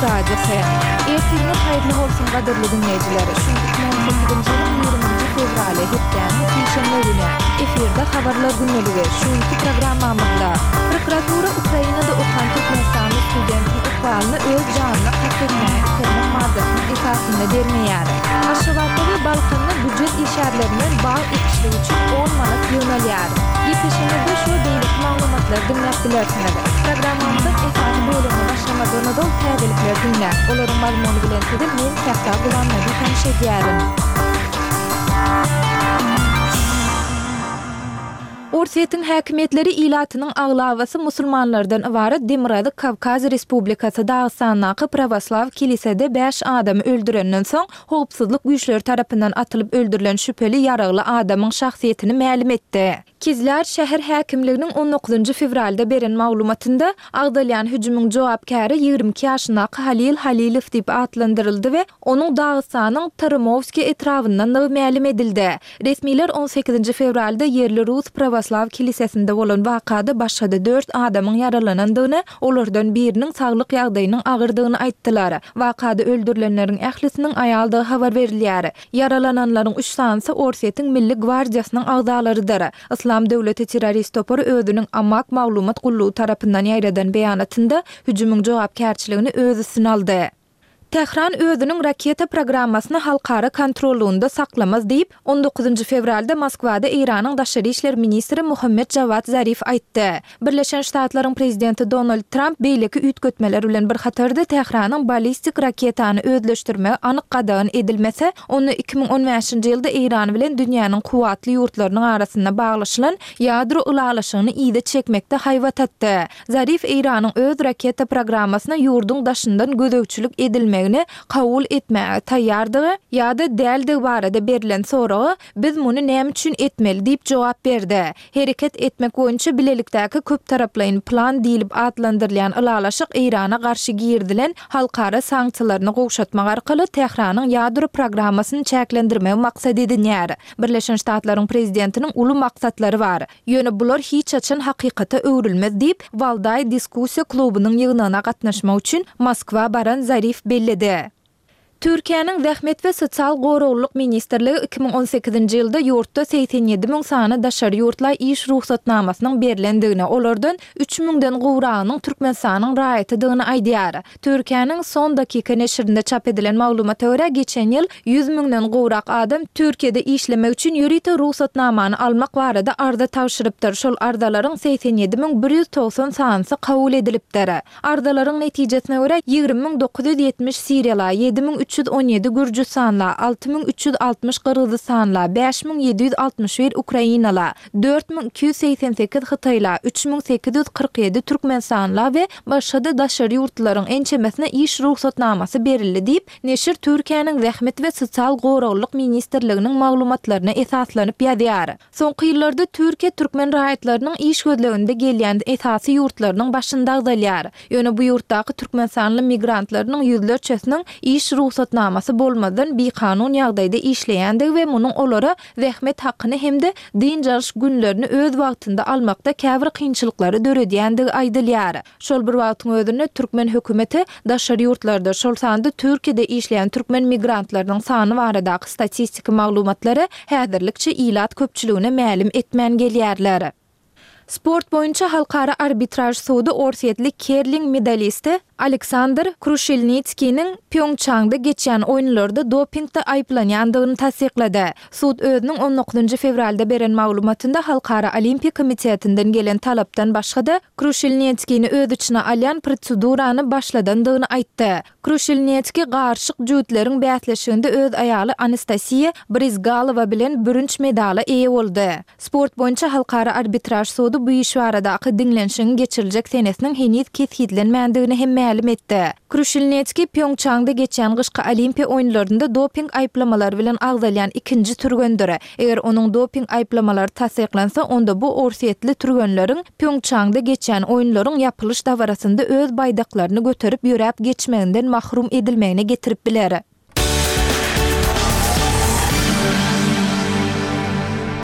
radyosu. Ertiriniz hayırlı olsun qadırlı dinleyiciler. Şunkuk 18. yılın 20. fevrali hepten Seyşembe günü efirde habarlar günneligi. Şunkuk programmamızda prokuratura Ukrainada okuyan Türkmenistanlı studentin ıqbalını öz canına qatırmaya itirmek maddasının esasında vermeyer. Aşıvatda ve Balkanlı bücret işarlarının bağ ekişliği için 10 manat yönelyer. Yetişimizde şu beylik malumatlar dinlep bilersiniz. Programmamızın esası bölümü başlamadan da təqillikler dinler. Onların mazmunu bilen sedir, men Səhta Qulan'la bir tanış ediyorum. Orsiyetin hakimiyetleri ilatynyň aglavasy musulmanlardan ibaret Demirady Kavkaz Respublikasy Dağıstannaky Pravoslav kilisede 5 adamy öldürenden soň howpsuzlyk güýçleri tarapyndan atılıp öldürilen şüpheli ýaragly adamyň şahsiýetini ma'lum etdi. Kizler şäher häkimliginiň 19 fevralda beren maglumatynda agdalýan hüjümüň jogapkary 22 ýaşyndaky Halil Halilow diýip atlandyryldy we onuň Dağystanyň Tarmovski etrafyndan ma'lum edildi. Resmiler 18 fevralda yerli Rus Pravoslav kilisesinde bolan wakada başga 4 adamyň yaralanandygyny, olardan biriniň saglyk ýagdaýynyň agyrdygyny aýtdylar. Wakada öldürilenleriň ählisiniň aýaldygy habar berilýär. Yaralananlaryň 3 sanyny Orsiýetiň Milli Gwardiýasynyň agdalarydyr. İslam Döwleti terrorist topary özüniň ammak maglumat gullugy tarapyndan ýaýradan beýanatynda hüjümüň jogapkärçiligini öz üstüne aldy. Tehran özüniň raketa programmasyny halkara kontrolunda saklamaz diýip 19 fevralda Moskwada Iranyň daşary işler ministri Muhammed Javad Zarif aýtdy. Birleşen Ştatlaryň prezidenti Donald Trump beýleki üýtgetmeler bilen bir hatarda Tehranyň ballistik raketany özleşdirme anyk gadagyn edilmese, onu 2015-nji ýylda Iran bilen dünýäniň kuwatly ýurtlarynyň arasynda baglaşylan ýadro ulalaşygyny ýyda çekmekde haýwat etdi. Zarif Iranyň öz raketa programmasyna ýurdun daşyndan gödökçülük edilmegini kabul etmäge taýýardygy ýa-da däldi barada berilen soragy biz muny näme üçin etmeli diýip jogap berdi. Hereket etmek boýunça bilelikdäki köp taraplaýyn plan diýilip atlandyrylýan ulalaşyk Irana garşy girdilen halkara sanksiýalaryny gowşatmak arkaly Tehranyň ýadro programmasyny çäklendirmek maksat edilýär. Birleşen Ştatlaryň prezidentiniň uly maksatlary bar. Ýöne bular hiç açan hakykata öwrülmez diýip Valday diskussiýa klubynyň ýygynyna gatnaşmak üçin Moskwa baran Zarif belli. Türkiýanyň Zähmet we Sosial goraglyk ministrligi 2018-nji ýylda ýurtda 87 000 sany daşary ýurtlar iş ruhsatnamasynyň berilendigini, olardan 3 000-den gowragynyň Türkmenistanyň raýatydygyny aýdýar. Türkiýanyň son dakika neşrinde çap edilen maglumata görä geçen ýyl 100 000-den gowrak adam Türkiýede işlemek üçin ýürite ruhsatnamany almak barada arda tawşyrypdyr. Şol ardalaryň 87 190 sanysy kabul edilipdir. Ardalaryň netijesine görä 20 970 Siriýala, 7 317 Gürcistanla, 6360 Kırgızstanla, 5761 Ukrainala, 4288 Hıtayla, 3847 Türkmenistanla ve başga daşary ýurtlaryň ençemesine iş ruhsatnamasy berildi diýip neşir Türkiýanyň Zähmet we Sosial goraglyk ministrliginiň maglumatlaryna esaslanyp ýazýar. Soňky ýyllarda Türkiýe türkmen raýatlarynyň iş gözleginde gelýän esasy ýurtlarynyň başynda agdalýar. Ýöne bu ýurtdaky türkmenstanly migrantlarynyň ýüzlerçesiniň iş ruhsatnamasy bolmadan bir kanun ýagdaýda işleýändigi we munyň olara zähmet hakyny hemde din jarş günlerini öz wagtynda almakda käbir kynçylyklary döredýändigi aýdylýar. Şol bir wagtyň özünde türkmen hökümeti daşary ýurtlarda şol sanda Türkiýede işleýän türkmen migrantlarynyň sany baradaky statistik maglumatlary häzirlikçe ilat köpçüligine ma'lum etmän gelýärler. Sport boyunca halkara arbitraj sudy Orsiýetlik curling medalisti Aleksandr Krushelnitskiň Pyeongchangda geçen oýunlarda dopingde aýplanýandygyny tasdiklady. Sud özüniň 19 fevralda beren maglumatynda Halkara Olimpia Komitetinden gelen talapdan başga Krushelnitskiň öz içine alýan prosedurany başladandygyny aýtdy. Krushelnitski garşyk jütleriň bäsleşiginde öz aýaly Anastasiya Brizgalova bilen bürünç medala eýe boldy. Sport boyunca halkara arbitraj sudy bu iş baradaky diňlenşigiň geçiriljek senesiniň henüz kesitlenmändigini hem ma'lum etdi. Krushelnitski Pyeongchangda geçen gyşky Olimpiya oýunlarynda doping aýplamalary bilen agdalýan ikinji türgendir. Eger onuň doping aýplamalary tasdiklansa, onda bu Orsiýetli türgenleriň Pyeongchangda geçen oýunlaryň ýapylyş dawarasynda öz baýdaklaryny göterip ýörep geçmeginden mahrum edilmegine getirip biler.